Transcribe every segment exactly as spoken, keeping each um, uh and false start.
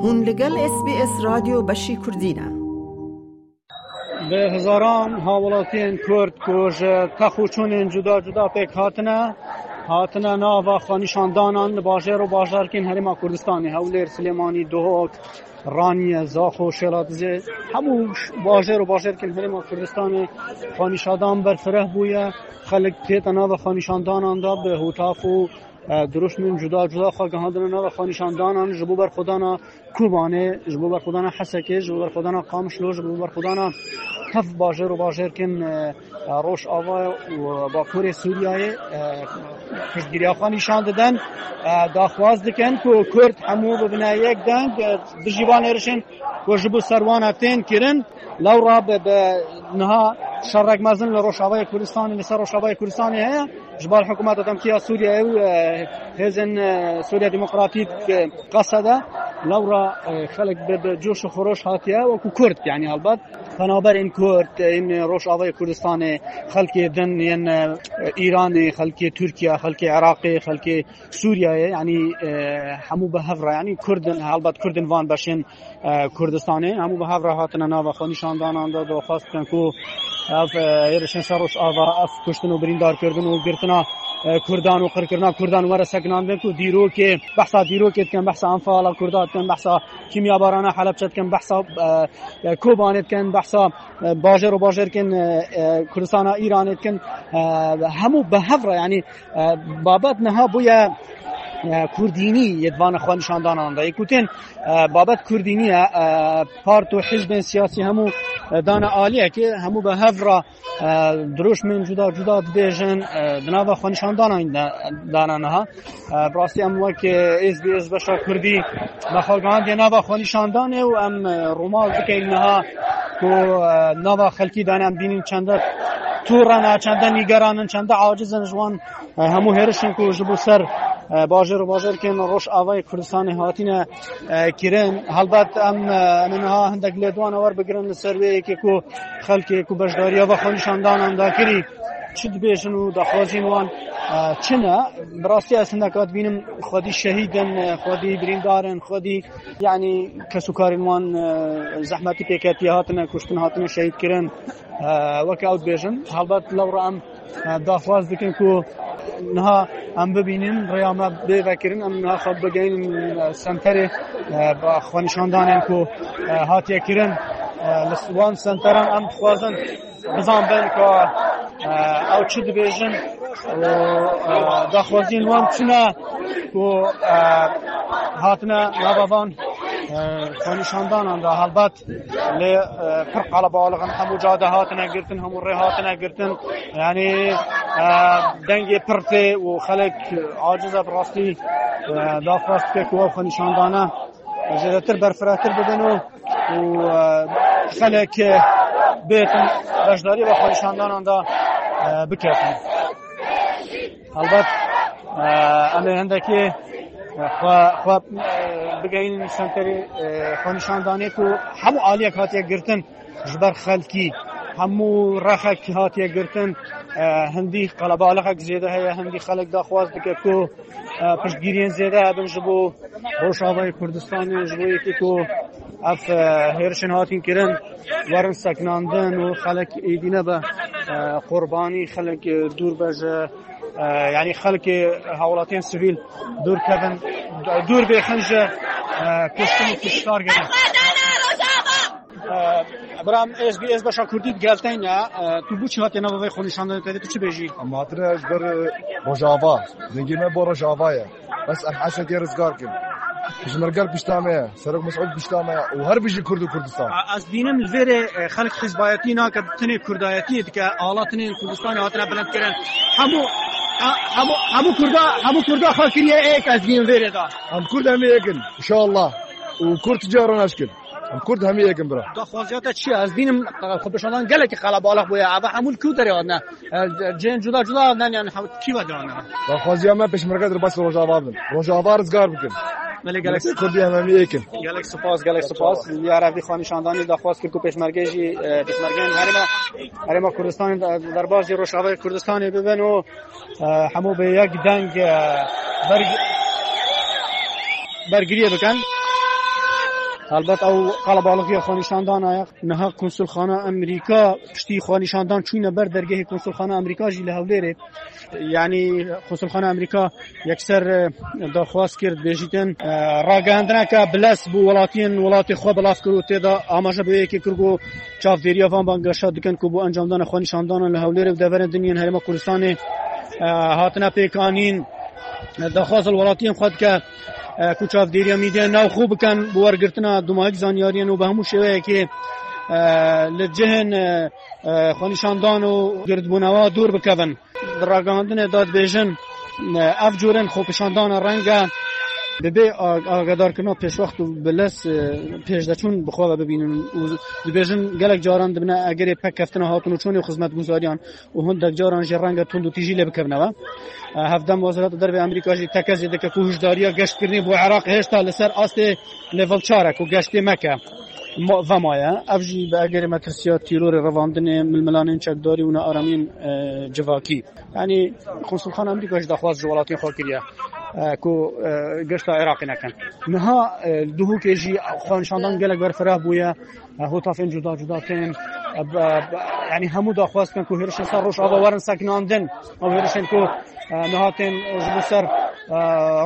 Hûn li gel S B S Radyo Beşî Kurdî ne. Bi hezaran hawelatiyên Kurd ku ji tex û çûnên cuda cuda pêk hatine, hatine nava xwenîşandanan li bajêr û bajarkên Herêma Kurdistanê, Hewlêr, Silêmanî, Duhok, Raniye, Zaxo, Şêlatizê, hemû ş-, bajêr û bajarkên Herêma Kurdistanê xwenîşandan berfireh bûye. Xelk tête nava xwenîşandanan de bi hotaf û, e, dirûşmên cuda cuda xwe gihandine nava xwenîşandanan ji bo berxwedana Kobanê, ji bo berxwedana Hesekê, ji bo berxwedana Qamişlo, ji bo berxwedana tev bajêr û bajarkên, e, e, Rojava û Bakurê Sûriyeyê, e, piştgiriya xwe nîşan didin, e, daxwaz dikin ku Kurd hemû bibine yek deng, e, dijî van êrişên ku ji bo ser wana tên kirin. Lewra bi, bi niha şerek mezin li Rojavayê Kurdistanê, li ser Rojavayê Kurdistanê heye. Ji bar hikûmeta demkî ya Sûriyeyê û, e, hêzên, e, Sûriya Demokratîk, e, Qesede, lewra, e, xelk bi, bi coş û xweroş hatiye wekû Kurd, yanî helbet penaberên Kurd, ên Rojavayê Kurdistanê, xelkê din yên, e, Îranê, xelkê Tirkiye, xelkê Iraqê, xelkê Sûriyeyê, yanî, e, hemû bi hev re, yanî Kurd in, helbet Kurd in van beşên e, Kurdistanê. Hemû bi hev re hatine nava xwenîşandanan de, daxwaz dikin ku ev, e, hêrişên ser Rojava, ev kuştin û birîndarkirdin û girtina, e, Kurdan û qirkirina Kurdan were sekinandin ku dîrokê, behsa dîrokê dikin, behsa enfala Kurda dikin, behsa kîmyabarana Helebçe dikin, behsa, e, e, Kobanê dikin, behsa, e, bajêr û bajarkên, e, e, Kurdistana Îranê dikin. E, hemû bi hev re, yanî, e, babet niha bûye, e, kurdînî yê di van xwenîşandanan de. Yê ku tên, e, babet kurdînî ye, e, part û hizbên siyasî hemû, e, dane aliyekê, hemû bi hev re, e, dirûşmên cuda cuda dibêjin, e, di nava xwenîşandanan de, dane niha. E, bi rastî em wek, e, S B S beşa kurdî me xwe gihandiye nava xwenîşandanê û em, e, rûmal dikeyn niha ku, e, nava xelkî dane em bînin çende tûr ne, çende nîgeran in, çende aciz in ji wan, e, hemû hêrişên ku ji bo ser, e, bajêr û bajarkên Rojavayê Kurdistanê hatine, e, kirin. Helbet em, e, em ê niha hindek lêdwana werbigirin li ser wê yekê ku xelkê ku beşdariya va xwenîşandanan dakirî çi dibêjin û daxwazîn wan, e, çi ne. Bi rastî ez hindeka dibînim xwedî şehîd in, e, xwedî birîndar in, xwedî, yanî kes û karên wan, e, zehmetî pêketiye, hatine kuştin, hatine şehîdkirin. E, weke ew dibêjin. Helbet lewra em, e, daxwaz dikin ku niha em bibînin, rêya me bê vekirin, em niha xwe bigeynin, e, senterê, e, ba xwenîşandanên ku, e, hatiye kirin. E, li wan senteran em dixwazin bizanbin ku, e, ew çi dibêjin û, e, daxwaziyên wan çi ne ku, e, hatine nava van, e, xwenîşandanan de. Helbet lê, e, pir qelebalix in, hemû cade hatine girtin, hemû rê hatine girtin. Yanî, e, dengê pir tê û xelk aciz e bi rastî, e, daxwaz dike ku ew xwenîşandane zêdetir berfirehtir bibin û, û, e, xelek, e, bêtin beşdarî ve xwenîşandanan de, e, biketin. Helbet, e, em ê hindekî, e, xwe, xwe, e, bigeyînin senterê, e, xwenîşandanê ku hemû aliyek hatiye girtin ji ber xelkî, hemû rexek hatiye girtin, e, hindî qelebalixek zêde heye, hindî xelek daxwaz dike ku, e, piştgiriyên zêde hebin ji bo Rojavayê Kurdistanê, ji bo yekê ku ev, e, hêrişên hatin kirin werin sekinandin û xelek êdî nebe, e, qurbanî, xelek, e, dûr be ji, e, yanî xelkê hawlatiyên sivîl dûr kevin, dûr bêxin ji, e, kuştin û kuştarkirin. E, Bram, S B S beşa Kurdî digelteyne, e, tu bû çi hatiye nava vê xwenîşandanê te dê, tu çi bêjî? Em hatine ji ber, e, Rojava. Dengê me bo Rojava ye. Bes em Hesekê rizgar kin. Pişmerge pişta me ye. Serok Mesûd pişta me ye. Û her bijî Kurd û Kurdistan. A, ez dînim li vêrê, e, xelk hizbayetî nake, tinê kurdayetiyê dike. Ala tinê Kurdistanê hatine bilind kirin. Hemû, a, hemû, hemû Kurda, hemû Kurda xwe kiriye êk, ez dînim vêrê de. Em Kurd hemî êk in, inşallah. Û Kurd cara naşkin. Em Kurd hemî êk in bira. Daxwaziya te çi ye? Ez dînim, e, xwepêşandan gelekî qelebalix bûye. Eva hemû li ku derê hatine? E, cihên cuda cuda hatine, yani hem-, kî ve derane? Daxwaziya me pêşmerge derbasî Rojava bin. Rojava rizgar bikin. Belê, gelek Kurdî em hemî êk in. Gelek spas, gelek spas. Li Arevî xwe nîşandanî daxwaz kir ku pêşmerge jî, e, pêşmergeyên herêma, herêma Kurdistanê de-, derbasî Rojavayê Kurdistanê bibin û, e, hemû bi yek deng, e, berg-, bergiriyê bikin. Helbet ew qelebalixî ya xwenîşandana ye. Niha konsulxana Amerîka, piştî xwenîşandan çûne ber dergehê konsulxana Amerîka jî li Hewlêrê. Yanî konsulxana Amerîka yekser, e, daxwaz kir, dibêjîtin, e, ragihandineke bilez bo welatiyên welatê xwe belav kir û tê de amaje bi wê yekê kir ku çavdêriya van bangeşa dikin ku bo encamdana xwenîşandanan li Hewlêrê û deverên din yên Herêma Kurdistanê, e, hatine pêkanîn. Daxwaz li welatiyên xwe dike, e, ku çavdêriya mîdyayên navxwe bikin bi wergirtina dumahîk zanyariyên û bi hemû şêweyekê, e, li cihên, e, e, xwenîşandan û girdbûnewa dûr bikevin. Di ragihandinê de dibêjin, e, ev cûrên xwepêşandana reng e bi bê a-, agadarkirina pêşwext û bi lez, e, pêşdeçûn bi xwe ve bibînin û dibêjin gelek caran dibine egerê pekeftina hatin û çûnê û xizmetguzariyan û hindek caran jî reng e tund û tîjî lê bikevine ve. E, hevdem Wezareta Derve Amerîka jî tekez jê dike ku hişdariya geştkirinê bo Iraqê hêşta li ser astê level çar e ku geştê meke ma-, vemaye. Ev jî bi egerê metirsiya tîrorê, revandinê milmilanên çekdarî û nearamiyên, e, civakî. Yanî konsulxana Amerîka jî daxwaz ji welatên xwe kiriye, e, ku, e, geşta Iraqê nekin. Niha, e, Duhokê jî xwenîşandan gelek berfireh bûye. E, hotafên cuda cuda tên. E, b-, b-, yanî hemû daxwaz dikin ku hêrişên ser Rojava werin sekinandin. Ew hêrişên ku, e, niha tên ji bo ser, e,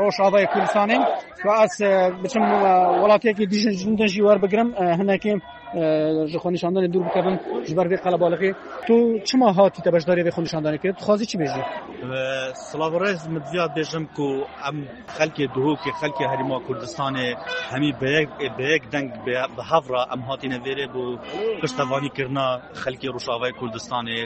Rojavayê Kurdistanê. Ku ez, e, biçim, e, welatiyekî dîjin din jî werbigirim, e, hinekî, e, ji xwenîşandanê dûr bikevim ji ber vê qelebalixê. Tu çima hatî te beşdarî vê xwenîşandanê kir? Dixwazî çi bêjî? Silav û rêz, min diviyat bêjim ku em xelkê Duhokê, xelkê Herêma Kurdistanê hemî bi yek, bi yek deng bi, bi hev re em hatîne vêrê bo piştevanîkirina xelkê Rojavayê Kurdistanê,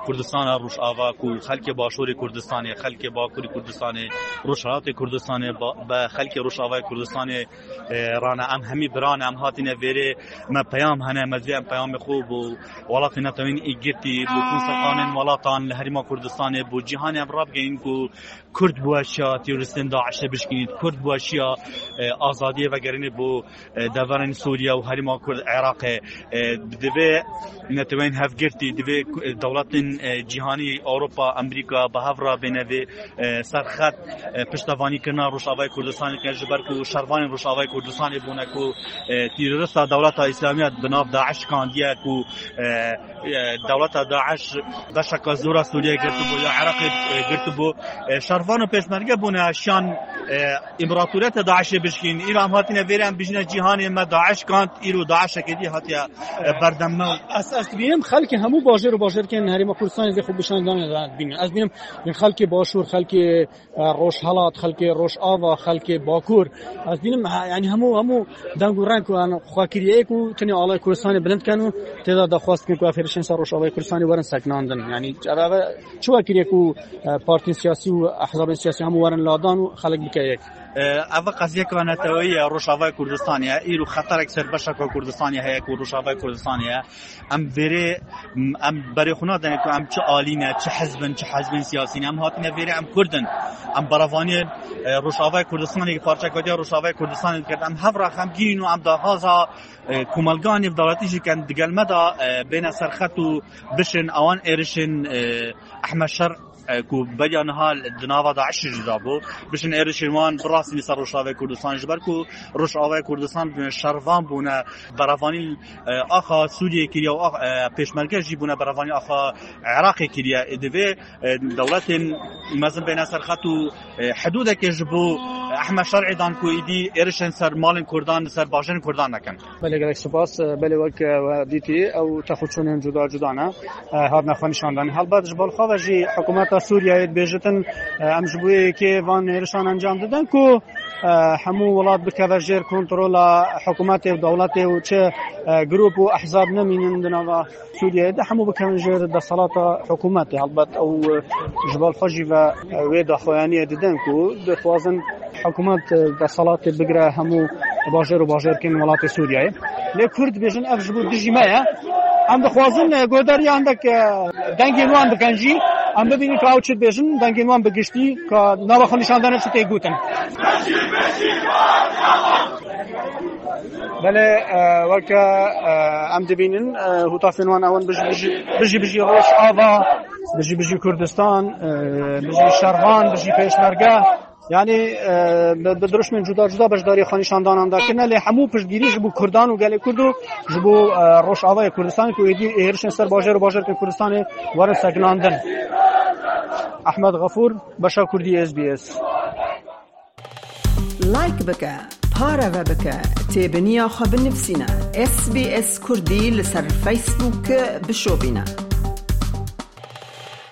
Kurdistana Rojava ku xelkê Başûrê Kurdistanê, xelkê Bakurê Kurdistanê, Rojhilatê Kurdistanê, ba-, bi xelkê Rojavayê Kurdistanê, e, rane. Em hemî biran, em hatîne vêrê, me peyam hene, me divê em peyamê xwe bo welatê netewên îgirtî, bo konservanên welatan li Herêma Kurdistanê, bo cîhanê em rabigeyîn ku Kurd bi weşiya terorîstên DAIŞê bişkînît, Kurd bi weşiya, e, azadiyê vegerînê bo, e, deverên Sûriye û herêma Kurd Iraqê. E, divê netewên hevgirtî, divê ku, e, dewletên, e, cîhanî, Ewropa, Amerîka bi hev re bêne vê, e, serxet, e, piştevanîkirina Rojavayê Kurdistanê bikin, ji ber ku şervanên Rojavayê Kurdistanê bûne ku, e, terorista Dewleta Îslamî ya bi nav DAIŞ şikandiye ku, e, e, dewleta DAIŞ beşeka zora Sûriye girtibû ya Iraqê, e, girtibû. E, şervan û pêşmerge bûne şiyan, e, împaratoriyeta DAIŞê bişkîn. Îro em hatine vêrê em bijîne cîhanê me DAIŞ kand, îro DAIŞeke dî hatiye, e, berdem me. Ez, ez dibînim xelkê hemû bajêr û bajêrkên Herêma Kurdistanê vê xwe bişandanê dibînin. Ez dibînim xelkê Başûr, xelkê, e, Rojhelat, xelkê Rojava, xelkê Bakur. Ez dibînim, ha, yanî hemû, hemû deng û reng ku em xwe kiriye ku tenê alay Kurdistanê bilind ken û tê de daxwaz dikin ku ev hêrişên ser Rojavayê Kurdistanê werin sekinandin. Yanî ev, ev çi we kiriye ku, e, partiyên siyasî û ehzabên siyasî hemû werin ladan û xelk bike yek? E, ev qeziyeka neteweyî ye, Rojavayê Kurdistanê ye. Îro xeterek ser beşeka Kurdistanê heye ku Rojavayê Kurdistanê ye. Em vêrê, em berê xwe nadene ku em çi alî ne, çi hizb in, çi hizbên siyasî ne. Em hatine vêrê, em Kurd in. Em berevaniyê, e, Rojavayê Kurdistanê, parçeka diya Rojavayê Kurdistanê dikin. Em hev re xemgîn in û em daxwaza, e, komelganê bi dewletî jî ken digel me de, e, bêne serxet û bişin ewan êrişên, e, Ehmed Şer, e, ku beriya niha di nava DAIŞê jî de bû. Bişin êrişên wan birastîne ser Rojavayê Kurdistan, ji ber ku Rojavayê Kurdistan şervan bûne, berevanî, e, axa Sûriyê kiriye û ax-, e, pêşmerge jî bûne berevanî axa Iraqê kiriye. Ê divê, e, dewletên mezin bêne ser xet û, e, hidûdekê ji bo Ehmed Şer'ê dan ku êdî êrişên ser malên Kurdan, ser bajêrên Kurdan nekin. Belê, gelek spas. Belê, wek, e, we dîtî, ew texûçûnên cuda cuda ne, e, hatine xwe nîşandan. Helbet ji balxwe ve jî hikûmeta Sûriyeyê dibêjitin, e, em ji bo yekê van hêrişan encam didin ku, e, hemû welat bikeve jêr kontrola hikûmetê û dewletê û çi, e, grûp û ehzab nemînin di nava Sûriyeyê de, hemû bikevin jêr desthilata hikûmetê. Helbet ew, e, ji balxwe jî ve, e, wê daxuyaniyê didin ku dixwazin hikûmet, e, desthilatê bigire hemû bajêr û bajêrkên welatê Sûriyeyê. Lê Kurd dibêjin ev ji bo dijî me ye. Em dixwazin, e, guhdarî hindek, e, dengên wan bikin jî. Em bibînin ka ew çi dibêjin, dengên wan bi giştî ka nava xwe nîşandane çi tê gotin. Belê, e, weke, e, em dibînin, e, hûtafên wan ew in: bijî, bijî, bijî, bijî Rojava, bijî, bijî Kurdistan, e, bijî şervan, bijî pêşmerge. Yanî, e, bi, bi dirişmên cuda cuda beşdarî xwe nîşandanan de kirine, lê hemû piştgirî ji bo Kurdan û gelê Kurd û ji bo, e, Rojavayê Kurdistanê ku êdî êrişên ser bajar û bajarên Kurdistanê werin sekinandin. Ehmed Xefûr, Beşa Kurdî, S B S. Like bike, pareve bike, têbiniya xwe binivîsîne. S B S Kurdî li ser Facebook bişopîne.